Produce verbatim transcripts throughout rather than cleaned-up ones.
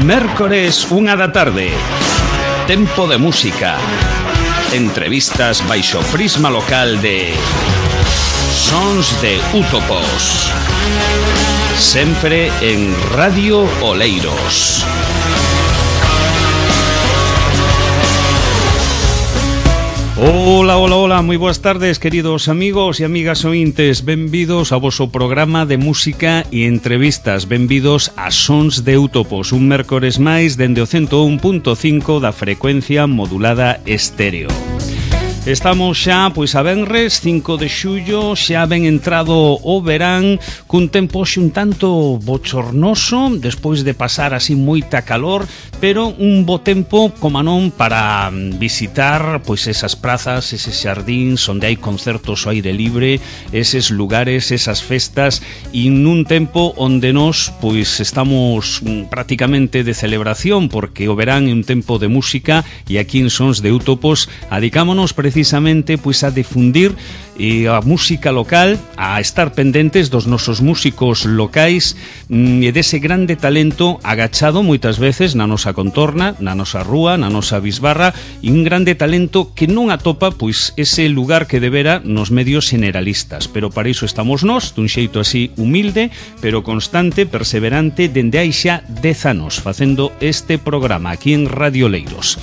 Mércores, unha da tarde. Tempo de música. Entrevistas baixo prisma local de Sons de Útopos. Sempre en Radio Oleiros. Ola, ola, ola, moi boas tardes, queridos amigos e amigas ointes. Benvidos ao voso programa de música e entrevistas. Benvidos a Sons de Útopos, un mércores máis dende o ciento un punto cinco da frecuencia modulada estéreo. Estamos xa, pois, a venres, cinco de xullo, xa ben entrado o verán, cun tempo xe un tanto bochornoso, despois de pasar así moita calor, pero un bo tempo, como non, para visitar, pois, esas prazas, eses xardíns, onde hai concertos ao aire libre, eses lugares, esas festas, e nun tempo onde nós, pois, estamos prácticamente de celebración, porque o verán é un tempo de música, e aquí en Sons de Útopos, adicámonos precisamente precisamente pois a difundir e a música local, a estar pendentes dos nosos músicos locais e dese grande talento agachado moitas veces na nosa contorna, na nosa rúa, na nosa bisbarra, e un grande talento que non atopa pois ese lugar que debera nos medios generalistas, pero para iso estamos nós, dun xeito así humilde, pero constante, perseverante, dende hai xa dez anos facendo este programa aquí en Radio Oleiros.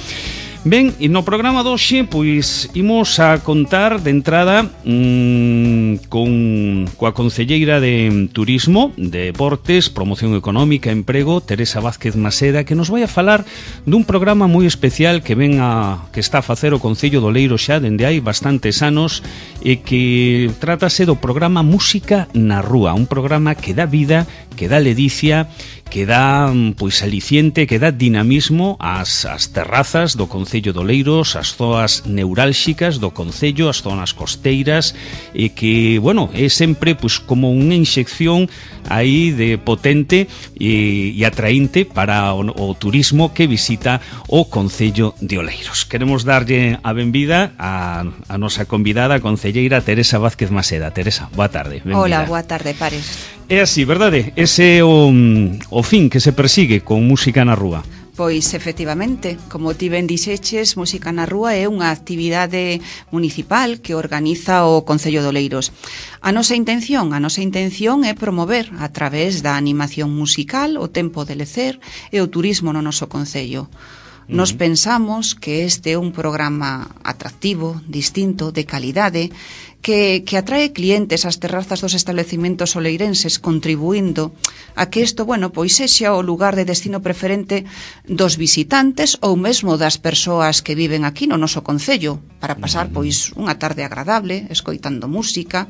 Ben, e no programa de hoxe, pois, imos a contar de entrada mmm, con coa concelleira de Turismo, Deportes, Promoción Económica, Emprego, Teresa Vázquez Maseda, que nos vai a falar dun programa moi especial que ven a que está a facer o Concello de Oleiros xa dende hai bastantes anos, e que trátase do programa Música na Rúa, un programa que dá vida, que dá ledicia, que dá, pois, aliciente, que dá dinamismo ás, ás terrazas do Concello de Oleiros, as zoas neurálxicas do Concello, as zonas costeiras, e que, bueno, é sempre, pois, como unha inxección aí de potente e, e atraínte para o, o turismo que visita o Concello de Oleiros. Queremos darlle a benvida a, a nosa convidada, a concelleira Teresa Vázquez Maseda. Teresa, boa tarde. Benvida. Hola, boa tarde, Pares. É así, verdade? Ese é o, o fin que se persigue con Música na Rúa. Pois, efectivamente, como ti ben dixeches, Música na Rúa é unha actividade municipal que organiza o Concello de Oleiros. A nosa intención, a nosa intención é promover a través da animación musical o tempo de lecer e o turismo no noso Concello. Nos pensamos que este é un programa atractivo, distinto, de calidade, que, que atrae clientes ás terrazas dos establecimentos oleirenses, contribuindo a que isto, bueno, pois sexa o lugar de destino preferente dos visitantes ou mesmo das persoas que viven aquí no noso concello, para pasar, pois, unha tarde agradable, escoitando música,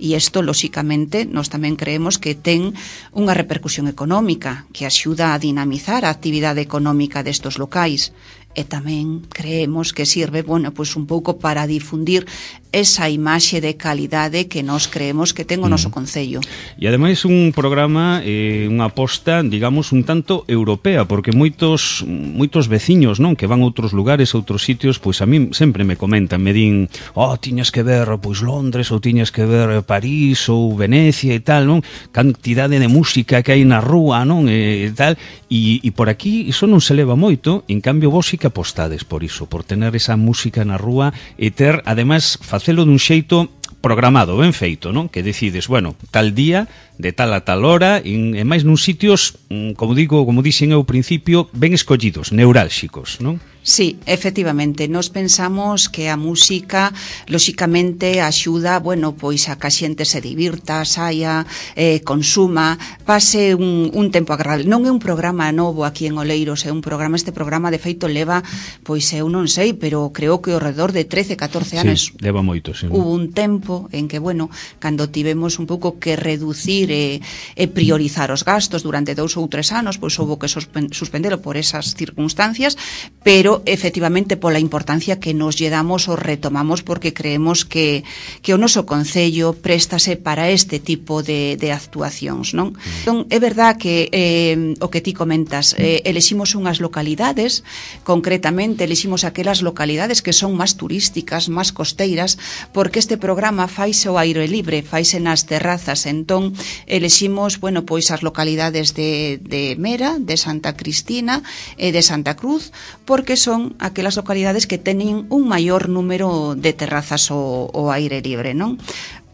e isto, lóxicamente, nós tamén creemos que ten unha repercusión económica, que axuda a dinamizar a actividade económica destos locais. E tamén creemos que sirve, bueno, pois un pouco para difundir esa imaxe de calidade que nós creemos que ten o noso concello. E ademais un programa, eh, unha aposta, digamos, un tanto europea, porque moitos moitos veciños, non, que van a outros lugares, a outros sitios, pois a mí sempre me comentan, me din, oh, tiñas que ver, pois, Londres, ou tiñas que ver París, ou Venecia e tal, non? Cantidade de música que hai na rúa, non? E tal, e, e por aquí iso non se leva moito, en cambio vos sí que apostades por iso, por tener esa música na rúa e ter, ademais, facelo dun xeito programado, ben feito, non? Que decides, bueno, tal día, de tal a tal hora, e máis nun sitios, como digo, como dixen ao principio, ben escollidos, neurálxicos, non? Sí, efectivamente, nos pensamos que a música, lóxicamente, axuda, bueno, pois a que a xente se divirta, saia, eh, consuma, pase un, un tempo agradable. Non é un programa novo aquí en Oleiros, é un programa, este programa de feito leva, pois eu non sei, pero creo que ao redor de trece, catorce anos. Sí, leva moito, sí. Hubo un tempo en que, bueno, cando tivemos un pouco que reducir e, e priorizar os gastos durante dous ou tres anos, pois houve que suspendelo por esas circunstancias, pero efectivamente pola importancia que nos lle damos o retomamos, porque creemos que, que o noso concello préstase para este tipo de, de actuacións, non? Entón, é verdad que eh, o que ti comentas, eh, eleximos unhas localidades, concretamente eleximos aquelas localidades que son máis turísticas, máis costeiras, porque este programa programa faise ao aire libre, faise nas terrazas, entón eleximos, bueno, pois as localidades de, de Mera, de Santa Cristina e de Santa Cruz, porque son aquelas localidades que teñen un maior número de terrazas ao, ao aire libre, non?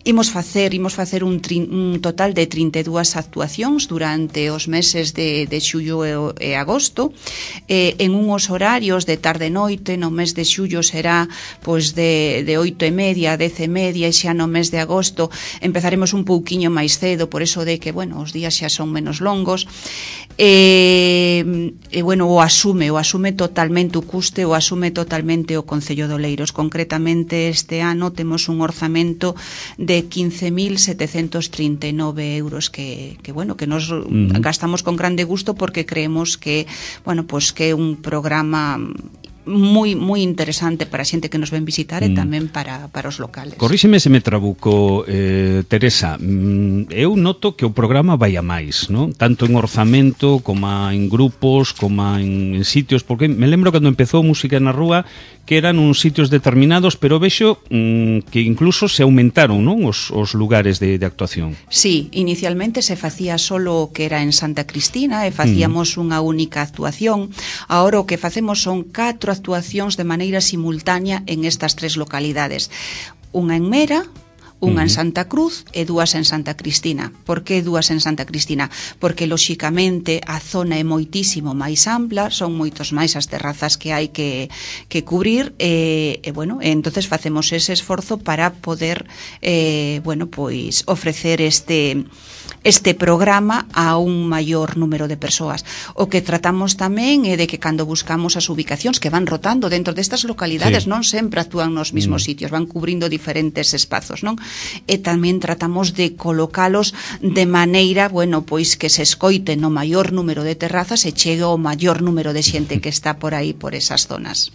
Imos facer, imos facer un, tri, un total de trinta e dúas actuacións durante os meses de, de xullo e, e agosto, eh, en uns horarios de tarde e noite. No mes de xullo será pois de, de oito e media a dez e media, e xa no mes de agosto empezaremos un pouquiño máis cedo, por eso de que, bueno, os días xa son menos longos. E, e bueno, o asume, o asume totalmente o custe, o asume totalmente o Concello de Oleiros. Concretamente este ano temos un orzamento de quince mil setecentos trinta e nove euros que, que bueno, que nos uh-huh. gastamos con grande gusto, porque creemos que, bueno, pues que é un programa moi moi interesante para a xente que nos ven visitar, mm. e tamén para, para os locales. Corríxeme se me trabuco, eh, Teresa. Eu noto que o programa vai a máis, non? Tanto en orzamento, como en grupos, como en, en sitios, porque me lembro cando empezou Música na Rúa que eran uns sitios determinados, pero vexo mm, que incluso se aumentaron, non, os, os lugares de, de actuación. Sí, inicialmente se facía solo que era en Santa Cristina e facíamos mm. unha única actuación. Agora o que facemos son catro actuacións de maneira simultánea en estas tres localidades. Unha en Mera, unha en Santa Cruz e dúas en Santa Cristina. Por que dúas en Santa Cristina? Porque, lóxicamente, a zona é moitísimo máis ampla, son moitos máis as terrazas que hai que, que cubrir, e, e bueno, entonces facemos ese esforzo para poder, eh, bueno, pois, ofrecer este este programa a un maior número de persoas. O que tratamos tamén é de que cando buscamos as ubicacións, que van rotando dentro destas localidades, sí. non sempre actúan nos mismos mm. sitios, van cubrindo diferentes espazos, non? E tamén tratamos de colocalos de maneira, bueno, pois que se escoite no maior número de terrazas e chegue ao maior número de xente que está por aí, por esas zonas.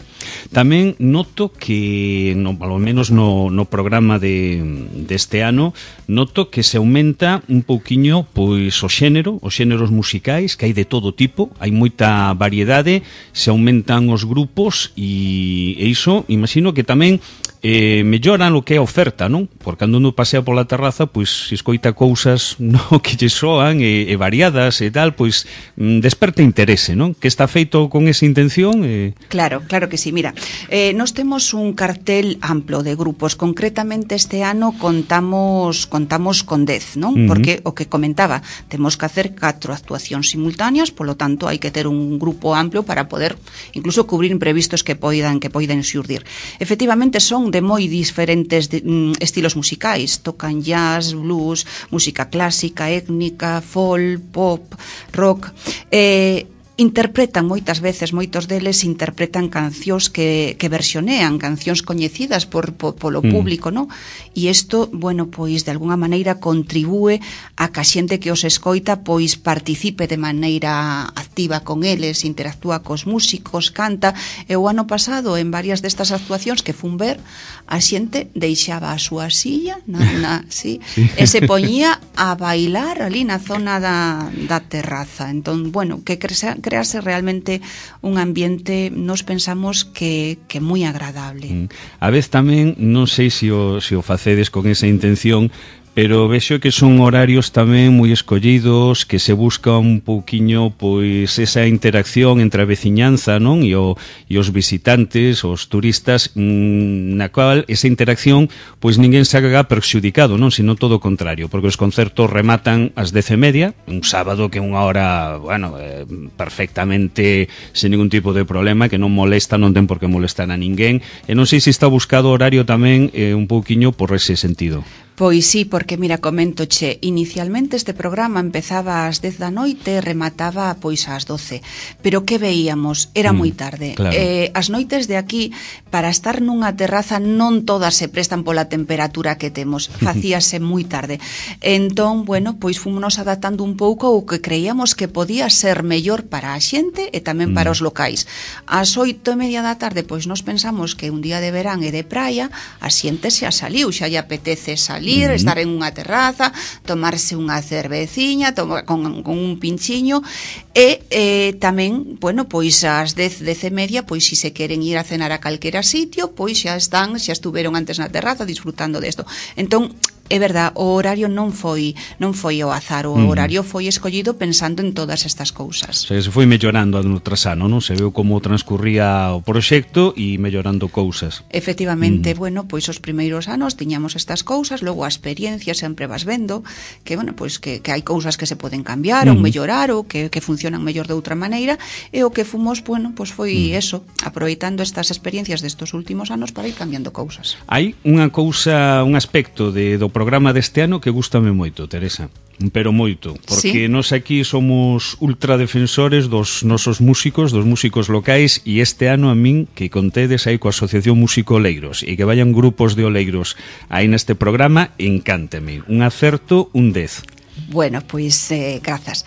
Tamén noto que, no, ao menos no, no programa de deste ano, noto que se aumenta un pouquinho pois o xénero, os xéneros musicais, que hai de todo tipo, hai moita variedade, se aumentan os grupos, e, e iso, imagino que tamén eh, melloran o que é a oferta, non? Porque cando uno pasea pola terraza, pois se escoita cousas no, que lle soan e, e variadas e tal, pois mm, desperta interese, non? Que está feito con esa intención? Eh... Claro, claro que sí. Mira, eh, nos temos un cartel amplo de grupos. Concretamente este ano contamos contamos con dez, non? Uh-huh. Porque o que comentaba, temos que hacer catro actuacións simultáneas, polo tanto hai que ter un grupo amplio para poder incluso cubrir imprevistos que poidan que poidan xurdir. Efectivamente son de moi diferentes de, mm, estilos musicais, tocan jazz, blues, música clásica, étnica, folk, pop, rock, eh interpretan moitas veces, moitos deles interpretan cancións que, que versionean, cancións coñecidas por, por polo público, mm. non? E isto, bueno, pois de alguna maneira contribúe a que a xente que os escoita pois participe de maneira activa con eles, interactúa cos músicos, canta. E o ano pasado, en varias destas actuacións que fun ver, a xente deixaba a súa silla na, na, sí, sí. e se poñía a bailar ali na zona da, da terraza. Entón, bueno, que cresa crearse realmente un ambiente, nos pensamos que, que moi agradable. A vez tamén, non sei se o, se o facedes con esa intención, pero vexo que son horarios tamén moi escollidos, que se busca un pouquiño pois esa interacción entre a veciñanza, non? E, o, e os visitantes, os turistas, mmm, na cual esa interacción pois ninguén se haga perxudicado, non? Sino todo o contrario, porque os concertos rematan ás dez e media, un sábado que é unha hora, bueno, eh, perfectamente sen ningún tipo de problema, que non molesta, non ten por que molestar a ninguén, e non sei se está buscado horario tamén eh, un pouquiño por ese sentido. Pois sí, porque mira, coméntoche, inicialmente este programa empezaba ás dez da noite e remataba pois ás doce, pero que veíamos? Era mm, moi tarde. Claro. Eh, as noites de aquí, para estar nunha terraza, non todas se prestan pola temperatura que temos, facíase moi tarde. Entón, bueno, pois fomos adaptando un pouco o que creíamos que podía ser mellor para a xente e tamén para mm. os locais. Ás oito e media da tarde, pois nos pensamos que un día de verán e de praia, a xente xa saliu, xa lle apetece salir salir, uh-huh. estar en unha terraza, tomarse unha cerveciña, toma, con, con un pinchiño, e eh, tamén, bueno, pois ás dez, dez e media, pois si se queren ir a cenar a calquera sitio, pois xa están, xa estuveron antes na terraza disfrutando desto. Entón, é verdad, o horario non foi non foi ao azar, o uh-huh. horario foi escollido pensando en todas estas cousas. O sea, se foi mellorando ano tras ano, non? Se veu como transcurría o proxecto e mellorando cousas. Efectivamente, uh-huh. bueno, pois os primeiros anos tiñamos estas cousas, logo a experiencia sempre vas vendo que, bueno, pois que, que hai cousas que se poden cambiar uh-huh. ou mellorar ou que, que funcionan mellor de outra maneira, e o que fomos, bueno, pois foi uh-huh. eso, aproveitando estas experiencias destos últimos anos para ir cambiando cousas. Hai unha cousa, un aspecto de, do programa deste ano que gústame moito, Teresa, pero moito, porque ¿sí? Nos aquí somos ultradefensores dos nosos músicos, dos músicos locais, e este ano a min que contedes aí coa Asociación Músico Oleiros e que vayan grupos de oleiros aí neste programa, encánteme. Un acerto, un dez. Bueno, pois, eh, grazas.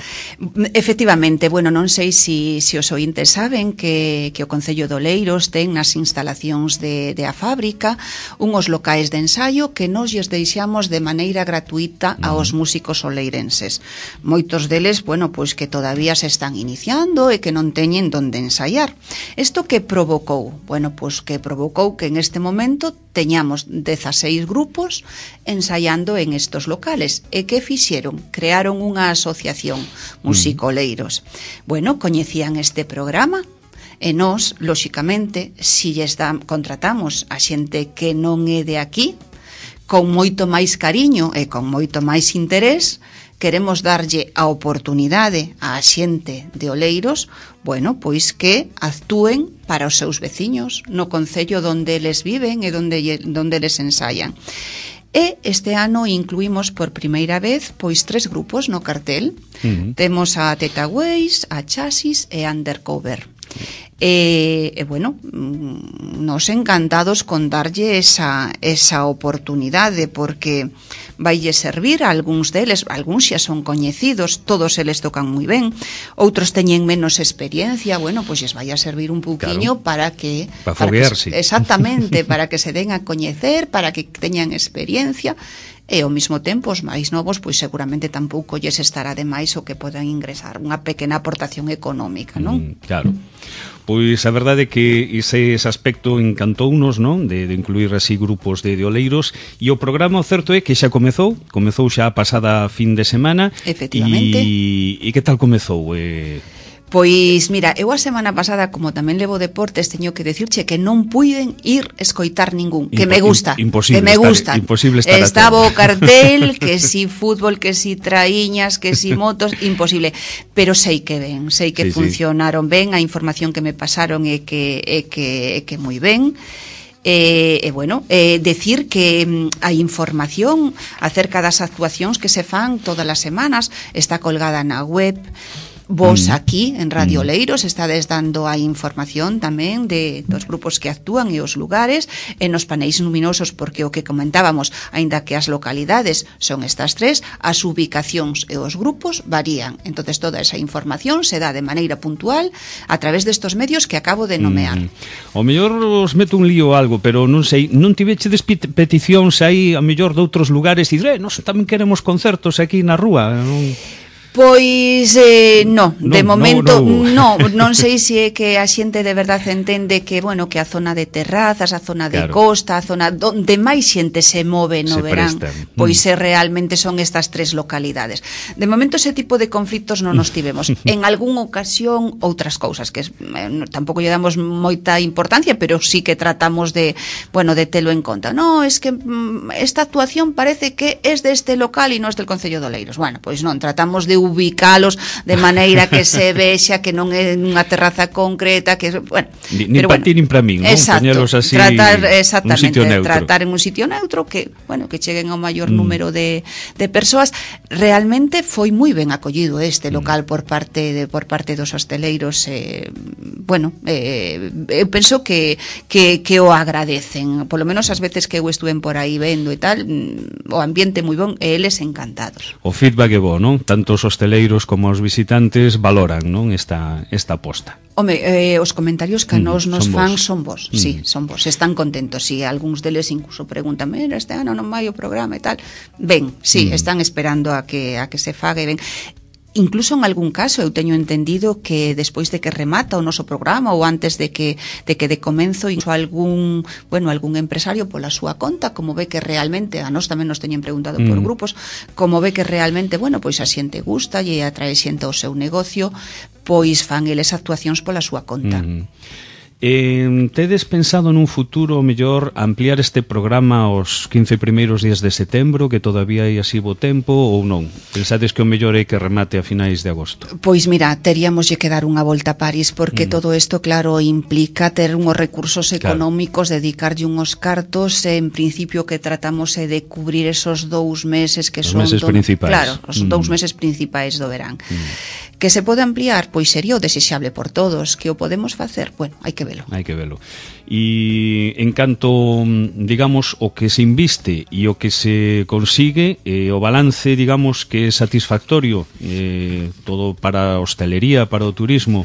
Efectivamente, bueno, non sei se si, si os ointes saben que, que o Concello de Oleiros ten nas instalacións de, de a fábrica unhos locais de ensaio que nos lles deixamos de maneira gratuita aos músicos oleirenses. Moitos deles, bueno, pois que todavía se están iniciando e que non teñen donde ensaiar. Isto que provocou? Bueno, pois que provocou que en este momento teñamos dezaseis grupos ensaiando en estos locales. E que fixeron? Crearon unha asociación, Musicoleiros. Bueno, coñecían este programa e nós, lóxicamente, si lles dan, contratamos a xente que non é de aquí, con moito máis cariño e con moito máis interés, queremos darlle a oportunidade á xente de Oleiros, bueno, pois que actúen para os seus veciños no concello donde eles viven e donde, donde eles ensayan. E este ano incluímos por primeira vez pois tres grupos no cartel. Uh-huh. Temos a Teta Ways, a Chasis e Undercover. E, e bueno, nos encantados con darlle esa, esa oportunidade, porque vaille servir a algúns deles, algúns xa son coñecidos, todos eles tocan moi ben, outros teñen menos experiencia, bueno, pois lles vai a servir un pouquiño, claro, para que para foguearse, exactamente, para que se den a coñecer, para que teñan experiencia. E ao mesmo tempo os máis novos pois seguramente tampouco lles estará de máis o que podan ingresar, unha pequena aportación económica, non? Mm, claro. Pois a verdade é que ese, ese aspecto encantounos, non? De, de incluir así grupos de, de oleiros, e o programa, o certo é que xa comezou, comezou xa a pasada fin de semana. Efectivamente. E, e que tal comezou? Eh... Pois, mira, eu a semana pasada, como tamén levo deportes, teño que decirche que non puiden ir escoitar ningún, que Impo me gusta, imposible que me gusta. Imposible estar Estaba o cartel, que si fútbol, que si traíñas, que si motos, imposible. Pero sei que ben, sei que sí, funcionaron sí. ben, a información que me pasaron é que é que é que moi ben. E, e bueno, eh, decir que mm, a información acerca das actuacións que se fan todas as semanas está colgada na web. Vos aquí, en Radio Oleiros, estades dando a información tamén de dos grupos que actúan e os lugares, e nos paneis luminosos, porque o que comentábamos, aínda que as localidades son estas tres, as ubicacións e os grupos varían. Entonces toda esa información se dá de maneira puntual a través destos medios que acabo de nomear. Mm. O mellor os meto un lío algo, pero non sei, non tivechedes peticións aí a mellor de outros lugares e dire, eh, nos tamén queremos concertos aquí na rúa, non? Pois eh, no, no, de momento no, no. no, non sei se é que a xente de verdade entende que, bueno, que a zona de terrazas, a zona de claro. costa, a zona onde máis xente se move no se verán, prestan. Pois mm. se realmente son estas tres localidades. De momento ese tipo de conflitos non nos tivemos. En algún ocasión outras cousas que eh, tampouco lle damos moita importancia, pero sí que tratamos de, bueno, de telo en conta. No, es que mm, esta actuación parece que es deste local e non es del Concello de Oleiros. Bueno, pois non, tratamos de ubicalos de maneira que se vexa que non é unha terraza concreta, que bueno, ni, ni para bueno, ti nin para min, non? Poñelos así, tratar exactamente, un tratar en un sitio neutro que, bueno, que cheguen ao maior mm. número de de persoas. Realmente foi moi ben acollido este local mm. por parte de por parte dos hosteleiros, eh, bueno, eh, eu penso que que que o agradecen, polo menos as veces que eu estuven por aí vendo e tal, o ambiente moi bon e eles encantados. O feedback é bo, non? Tanto os hosteleiros como os visitantes valoran, non, esta, esta aposta. Home, eh, os comentarios que a nos nos son fan vos. son vos, Mm. sí, son vos, están contentos, sí, algúns deles incluso preguntan, mira, este ano non vai o programa e tal. Ben, sí, Mm. están esperando a que a que se faga e ben. Incluso en algún caso eu teño entendido que despois de que remata o noso programa ou antes de que de que de comenzo incluso algún, bueno, algún empresario pola súa conta, como ve que realmente a nós tamén nos teñen preguntado por Mm. grupos, como ve que realmente, bueno, pois a xente gusta e atrae xente ao seu negocio, pois fan eles actuacións pola súa conta. Mm. Eh, tedes pensado nun futuro mellor ampliar este programa aos quince primeiros días de setembro, que todavía hai así bo tempo, ou non? Pensades que o mellor é que remate a finais de agosto? Pois mira, teríamos que dar unha volta a París porque mm. todo isto, claro, implica ter unhos recursos económicos, claro, dedicarlle unhos cartos, en principio que tratamos é de cubrir esos dous meses que os son... meses do... principais. Claro, os mm. dous meses principais do verán. Mm. Que se pode ampliar, pois sería o desexable por todos. Que o podemos facer? Bueno, hai que velo. Hai que velo. E en canto, digamos, o que se inviste e o que se consigue, eh, o balance, digamos, que é satisfactorio, eh, todo para a hostelería, para o turismo.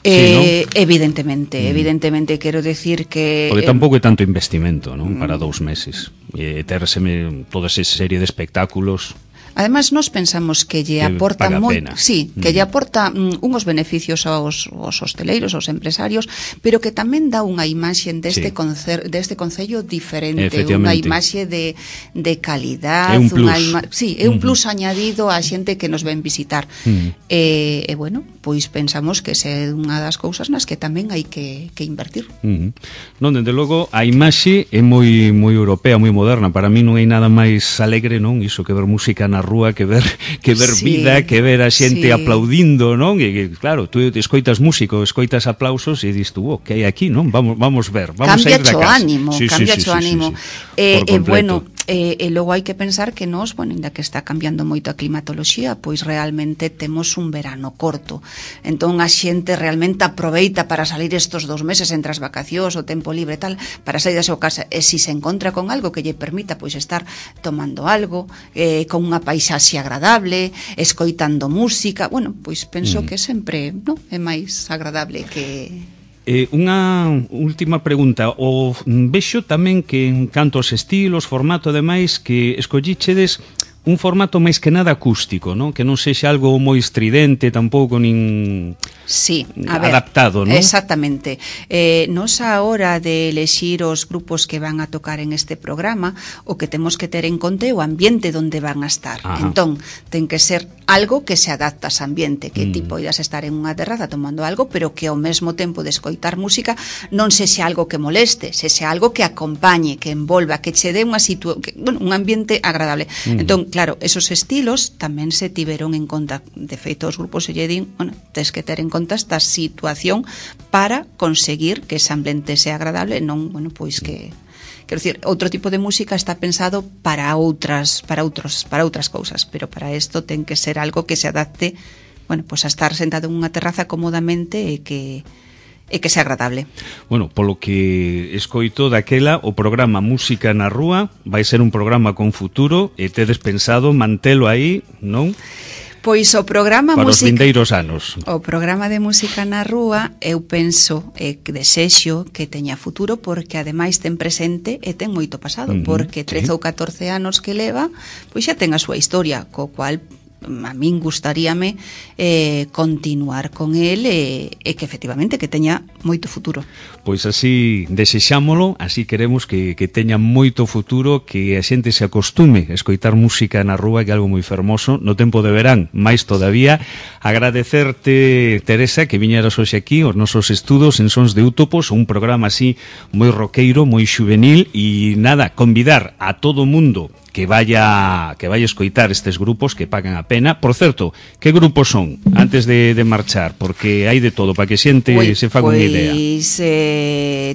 Eh, sí, ¿no? Evidentemente, mm. evidentemente quero decir que... Porque tampouco é tanto investimento, non? Para dous meses. E terseme toda esa serie de espectáculos... Además, nos pensamos que lle aporta moito, sí, que mm. lle aporta mm, unhos beneficios aos, aos hosteleiros, aos empresarios, pero que tamén dá unha imaxe deste, sí, concer, deste concello diferente, unha imaxe de, de calidad, é un plus. Unha ima, sí, é un mm. plus añadido á xente que nos ven visitar. Mm. E, e bueno, pois pensamos que é unha das cousas nas que tamén hai que, que invertir. Mm. Non, dende logo, a imaxe é moi moi europea, moi moderna. Para mí non hai nada máis alegre, non? Iso que ver música na rúa, que ver que ver sí, vida, que ver a xente sí. aplaudindo, non? E que claro, tú escoitas músico, escoitas aplausos e dis tú, oh, que hai aquí, non? Vamos vamos ver, vamos cambia a ir da casa. Ánimo, sí, cambia sí, o sí, ánimo. Sí, sí, eh, eh, bueno, e eh, eh, logo hai que pensar que nós, bueno, ainda que está cambiando moito a climatoloxía, pois realmente temos un verano corto. Entón a xente realmente aproveita para salir estos dous meses entre as vacacións, o tempo libre e tal, para sair da súa casa. E se se encontra con algo que lle permita pois estar tomando algo, eh, con unha paisaxe agradable, escoitando música, bueno, pois penso mm. que sempre, no, é máis agradable que... Eh, unha última pregunta. O vexo tamén que en canto aos estilos, formato, demais, que escollichedes un formato máis que nada acústico, non? Que non sexa algo moi estridente, tampouco nin sí, a ver, adaptado, non? Exactamente. Eh, nos a hora de elexir os grupos que van a tocar en este programa, o que temos que ter en conta é o ambiente onde van a estar. Ajá. Entón, ten que ser algo que se adapta a ese ambiente, que mm. ti poidas estar en unha terraza tomando algo, pero que ao mesmo tempo de escoitar música non sexa algo que moleste, sexa algo que acompañe, que envolva, que che dé unha situa que, bueno, un ambiente agradable. Mm. Entón, claro, esos estilos tamén se tiveron en conta. De feito, os grupos se lle din, bueno, tes que ter en conta esta situación para conseguir que ese ambiente sea agradable, non, bueno, pois que quero dicir, outro tipo de música está pensado para outras para outros para outras cousas, pero para isto ten que ser algo que se adapte, bueno, pois a estar sentado en unha terraza cómodamente e que e que sea agradable. Bueno, polo que escoito daquela, o programa Música na Rúa vai ser un programa con futuro e tedes pensado mantelo aí, non? Pois o programa para música, os vindeiros anos. O programa de Música na Rúa, eu penso e que desexo que teña futuro porque ademais ten presente e ten moito pasado, uh-huh, porque trece sí. ou catorce anos que leva, pois xa ten a súa historia, co cual a min gustaríame eh, continuar con el e, e que efectivamente que teña moito futuro. Pois así desexámolo, así queremos que, que teña moito futuro, que a xente se acostume a escoitar música na rúa, que é algo moi fermoso no tempo de verán. Mais todavía agradecerte, Teresa, que viñeras hoxe aquí aos nosos estudos en Sons de Útopos, un programa así moi roqueiro, moi xuvenil, e nada, convidar a todo o mundo que vaya que vaya a escoitar estes grupos que pagan a pena. Por certo, que grupos son antes de, de marchar? Porque hai de todo, para que xente Ui, se faga pues, unha idea. Eh,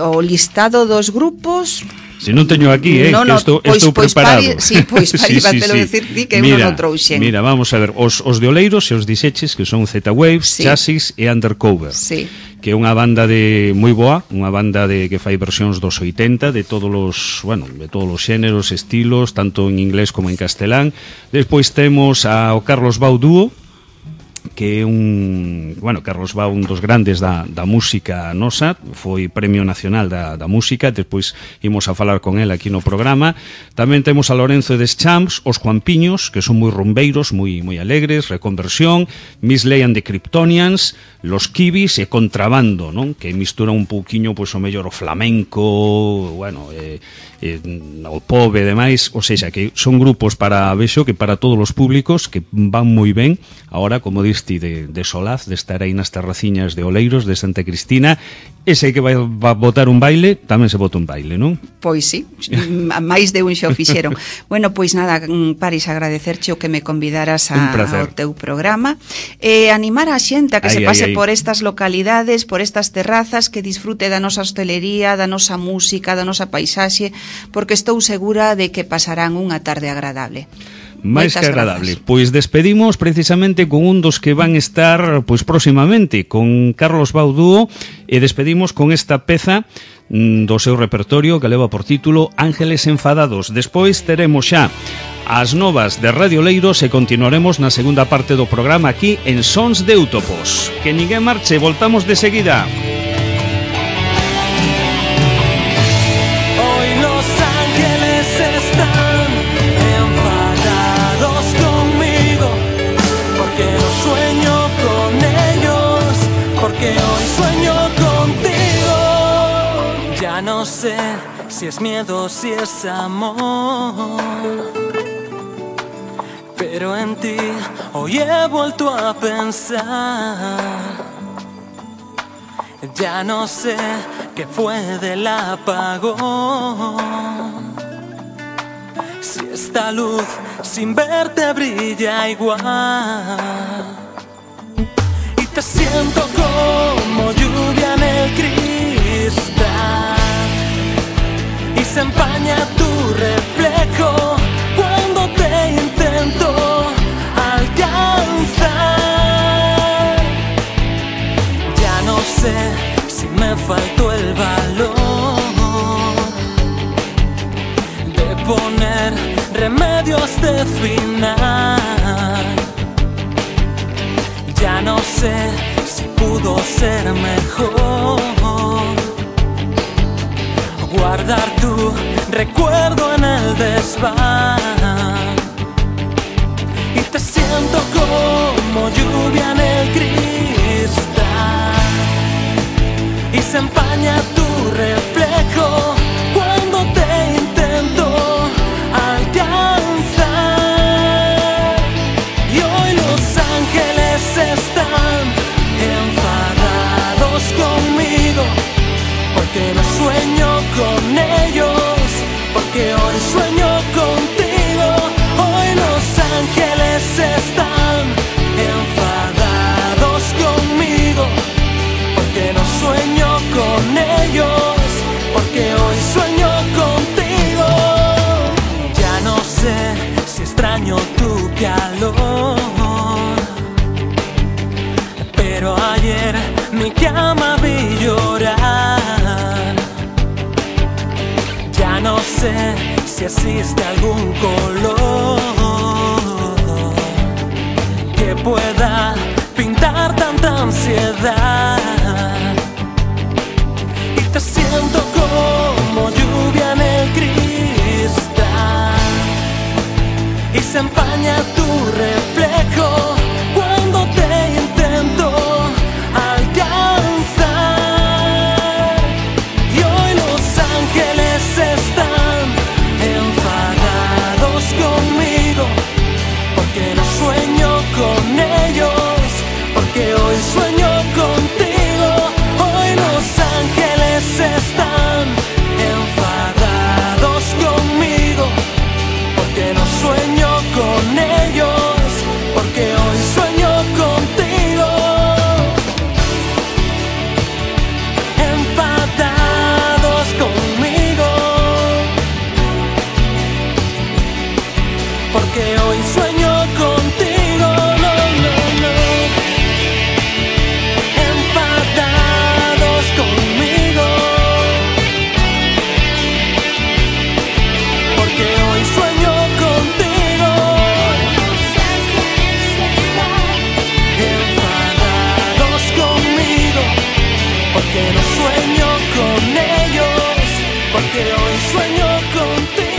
o listado dos grupos... Se non teño aquí, eh, no, no, que estou, pois, estou pois preparado. Pari, sí, pois pari, sí, sí, sí. Decir ti que mira, uno non trouxen. Mira, vamos a ver, os, os de Oleiros e os dixeches, que son Z-Waves, sí. Chassis e Undercover. Sí. que é unha banda de moi boa, unha banda de que fai versións dos oitenta de todos os, bueno, de todos os xéneros, estilos, tanto en inglés como en castelán. Despois temos ao Carlos Bau Dúo, que é un, bueno, Carlos Bau, un dos grandes da, da música nosa, foi Premio Nacional da, da Música, despois imos a falar con él aquí no programa. Tamén temos a Lorenzo des Champs, os Juanpiños, que son moi rumbeiros, moi moi alegres, Reconversión, Miss Ley and the Kryptonians, Los Kibis e Contrabando, non? Que mistura un pouquiño, pois, o mellor o flamenco, bueno, eh, eh, o pop e demais, ou seja, que son grupos para, vexo, que para todos os públicos, que van moi ben. Ahora, como diste, de, de Solaz, de estar aí nas terraciñas de Oleiros, de Santa Cristina, ese que vai, vai botar un baile, tamén se bota un baile, non? Pois sí, máis de un xo fixeron. Bueno, pois nada, Paris, agradecerche o que me convidaras a, ao teu programa, e animar a xente a que ai, se pase ai, ai. por estas localidades, por estas terrazas, que disfrute da nosa hostelería, da nosa música, da nosa paisaxe, porque estou segura de que pasarán unha tarde agradable. Máis que agradable. Grazas. Pois despedimos precisamente con un dos que van estar pois próximamente, con Carlos Bau Dúo, e despedimos con esta peza do seu repertorio que leva por título Ángeles Enfadados. Despois teremos xa as novas de Radio Oleiros e continuaremos na segunda parte do programa aquí en Sons de Eutopos. Que ninguén marche, voltamos de seguida. No sé si es miedo, si es amor, pero en ti hoy he vuelto a pensar. Ya no sé qué fue del apagón, si esta luz sin verte brilla igual. Y te siento como lluvia en el cristal, y se empaña tu reflejo cuando te intento alcanzar. Ya no sé si me faltó el valor de poner remedio a este final. Ya no sé si pudo ser mejor guardar tu recuerdo en el desván. Y te siento como lluvia en el cristal, y se empaña tu reflejo cuando te intento alcanzar. Y hoy los ángeles están enfadados conmigo, porque no sueño con ellos, porque hoy sueño contigo. Hoy los ángeles están enfadados conmigo, porque no sueño con ellos, porque hoy sueño contigo. Ya no sé si extraño tu calor, pero ayer mi cama vi llorar. Ya no sé si existe algún color que pueda pintar tanta ansiedad. Y te siento como lluvia en el cristal, y se empaña tu reflejo cuando te intento alcanzar. Y hoy los ángeles están enfadados conmigo, porque no sueño con ellos, porque hoy sueño contigo. Hoy los ángeles están enfadados conmigo, porque no sueño con ellos, porque hoy sueño contigo. Enfadados conmigo, porque hoy sueño contigo. No, no, no. Enfadados porque no sueño con ellos, porque hoy sueño contigo.